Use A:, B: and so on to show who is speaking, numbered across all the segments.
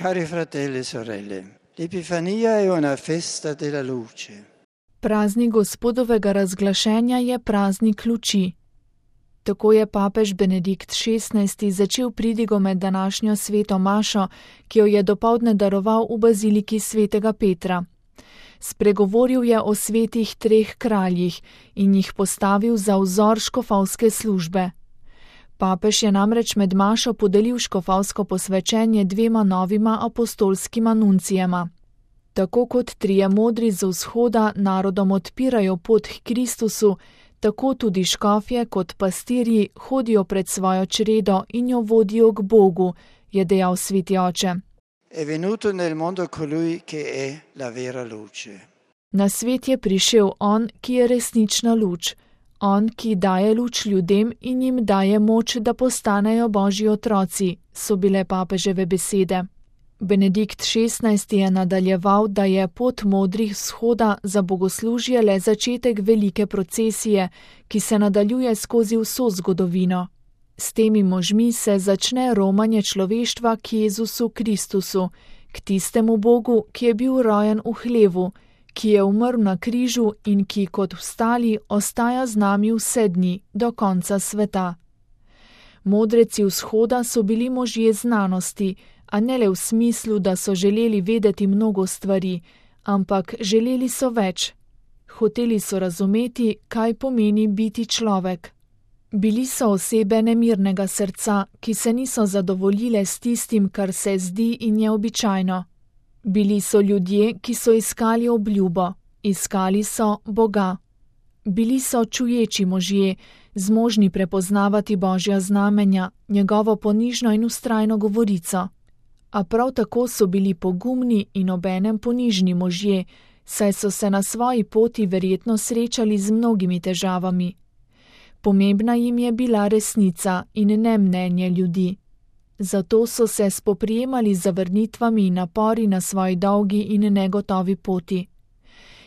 A: Cari fratelli e sorelle, l'Epifania è una festa della luce.
B: Praznik Gospodovega razglašenja je praznik luči. Tako je papež Benedikt XVI. Začel pridigo med današnjo sveto mašo, ki jo je dopoldne daroval v baziliki svetega Petra. Spregovoril je o svetih treh kraljih in jih postavil za vzor škofovske službe. Papež je namreč med mašo podelil škofovsko posvečenje dvema novima apostolskima nuncijema. Tako kot trije modri z vzhoda narodom odpirajo pot k Kristusu, tako tudi škofje kot pastirji hodijo pred svojo čredo in jo vodijo k Bogu, je dejal sveti oče.
A: È venuto nel mondo colui che è la vera luce.
B: Na svet je prišel on, ki je resnična luč. On, ki daje luč ljudem in jim daje moč, da postanejo Božji otroci, so bile papeževe besede. Benedikt XVI. Je nadaljeval, da je pot modrih vzhoda za bogoslužje le začetek velike procesije, ki se nadaljuje skozi vso zgodovino. S temi možmi se začne romanje človeštva k Jezusu Kristusu, k tistemu Bogu, ki je bil rojen v hlevu, ki je umrl na križu in ki kot vstali ostaja z nami vse dni do konca sveta. Modreci vzhoda so bili možje znanosti, a ne le v smislu, da so želeli vedeti mnogo stvari, ampak želeli so več. Hoteli so razumeti, kaj pomeni biti človek. Bili so osebe nemirnega srca, ki se niso zadovoljile s tistim, kar se zdi in je običajno. Bili so ljudje, ki so iskali obljubo, iskali so Boga. Bili so čuječi možje, zmožni prepoznavati Božja znamenja, njegovo ponižno in vztrajno govorico. A prav tako so bili pogumni in obenem ponižni možje, saj so se na svoji poti verjetno srečali z mnogimi težavami. Pomembna jim je bila resnica in ne mnenje ljudi. Zato so se spoprijemali z zavrnitvami in napori na svoji dolgi in negotovi poti.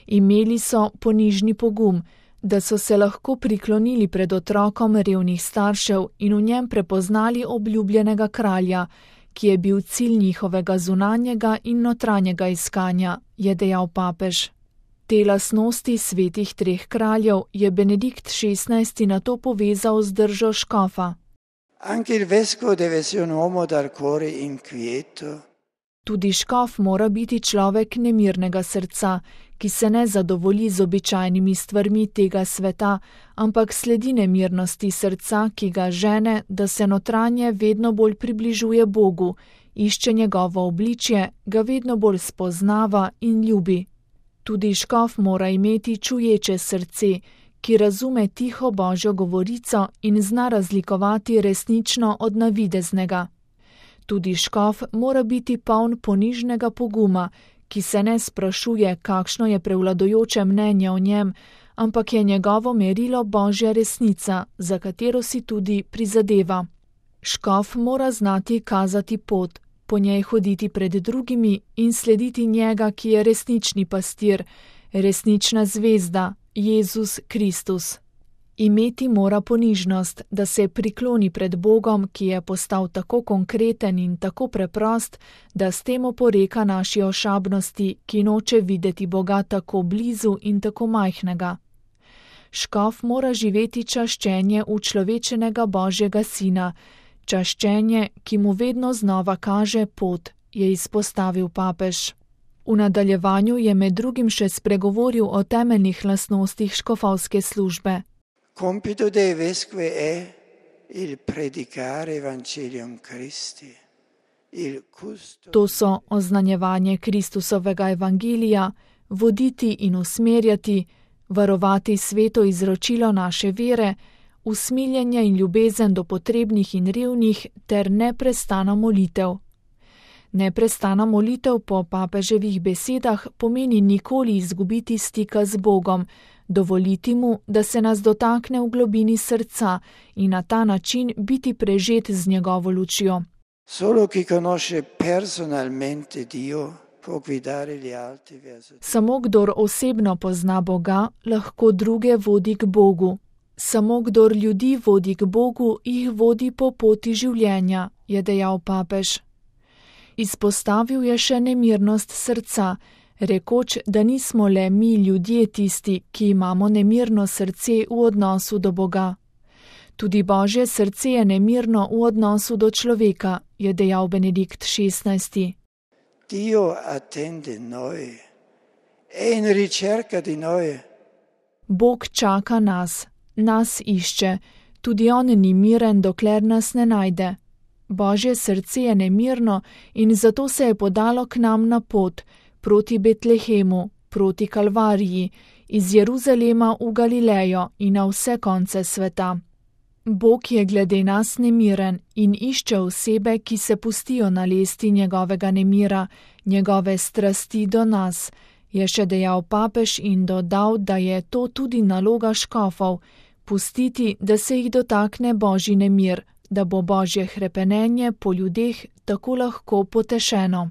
B: Imeli so ponižni pogum, da so se lahko priklonili pred otrokom revnih staršev in v njem prepoznali obljubljenega kralja, ki je bil cilj njihovega zunanjega in notranjega iskanja, je dejal papež. Te lastnosti svetih treh kraljev je Benedikt XVI. Nato povezal z držo škofa.
A: Anche il vescovo deve essere un uomo dal cuore inquieto.
B: Tudi škof mora biti človek nemirnega srca, ki se ne zadovolji z običajnimi stvarmi tega sveta, ampak sledi nemirnosti srca, ki ga žene, da se notranje vedno bolj približuje Bogu, išče njegovo obličje, ga vedno bolj spoznava in ljubi. Tudi škof mora imeti čuječe srce, ki razume tiho Božjo govorico in zna razlikovati resnično od navideznega. Tudi škof mora biti poln ponižnega poguma, ki se ne sprašuje, kakšno je prevladujoče mnenje o njem, ampak je njegovo merilo Božja resnica, za katero si tudi prizadeva. Škof mora znati kazati pot, po njej hoditi pred drugimi in slediti njega, ki je resnični pastir, resnična zvezda, Jezus Kristus. Imeti mora ponižnost, da se prikloni pred Bogom, ki je postal tako konkreten in tako preprost, da s tem oporeka naši ošabnosti, ki noče videti Boga tako blizu in tako majhnega. Škof mora živeti čaščenje učlovečenega Božjega Sina, čaščenje, ki mu vedno znova kaže pot, je izpostavil papež. V nadaljevanju je med drugim še spregovoril o temeljnih lastnostih škofovske službe.
A: Compito dei vescovi è il predicare Evangelium Christi, il custo.
B: To so oznanjevanje Kristusovega evangelija, voditi in usmerjati, varovati sveto izročilo naše vere, usmiljenje in ljubezen do potrebnih in revnih ter neprestana molitev. Neprestana molitev po papeževih besedah pomeni nikoli izgubiti stika z Bogom, dovoliti mu, da se nas dotakne v globini srca in na ta način biti prežet z njegovo lučjo.
A: Solo chi conosce personalmente Dio può guidare gli altri verso.
B: Samo kdor osebno pozna Boga, lahko druge vodi k Bogu. Samo kdor ljudi vodi k Bogu, jih vodi po poti življenja, je dejal papež. Izpostavil je še nemirnost srca, rekoč, da nismo le mi ljudje tisti, ki imamo nemirno srce v odnosu do Boga. Tudi Božje srce je nemirno v odnosu do človeka, je dejal Benedikt XVI.
A: Dio attende noi, è in ricerca di noi.
B: Bog čaka nas išče, tudi on ni miren, dokler nas ne najde. Božje srce je nemirno in zato se je podalo k nam na pot, proti Betlehemu, proti Kalvariji, iz Jeruzalema v Galilejo in na vse konce sveta. Bog je glede nas nemiren in išče osebe, ki se pustijo nalesti njegovega nemira, njegove strasti do nas, je še dejal papež in dodal, da je to tudi naloga škofov, pustiti, da se jih dotakne Božji nemir, da bo Božje hrepenenje po ljudeh tako lahko potešeno.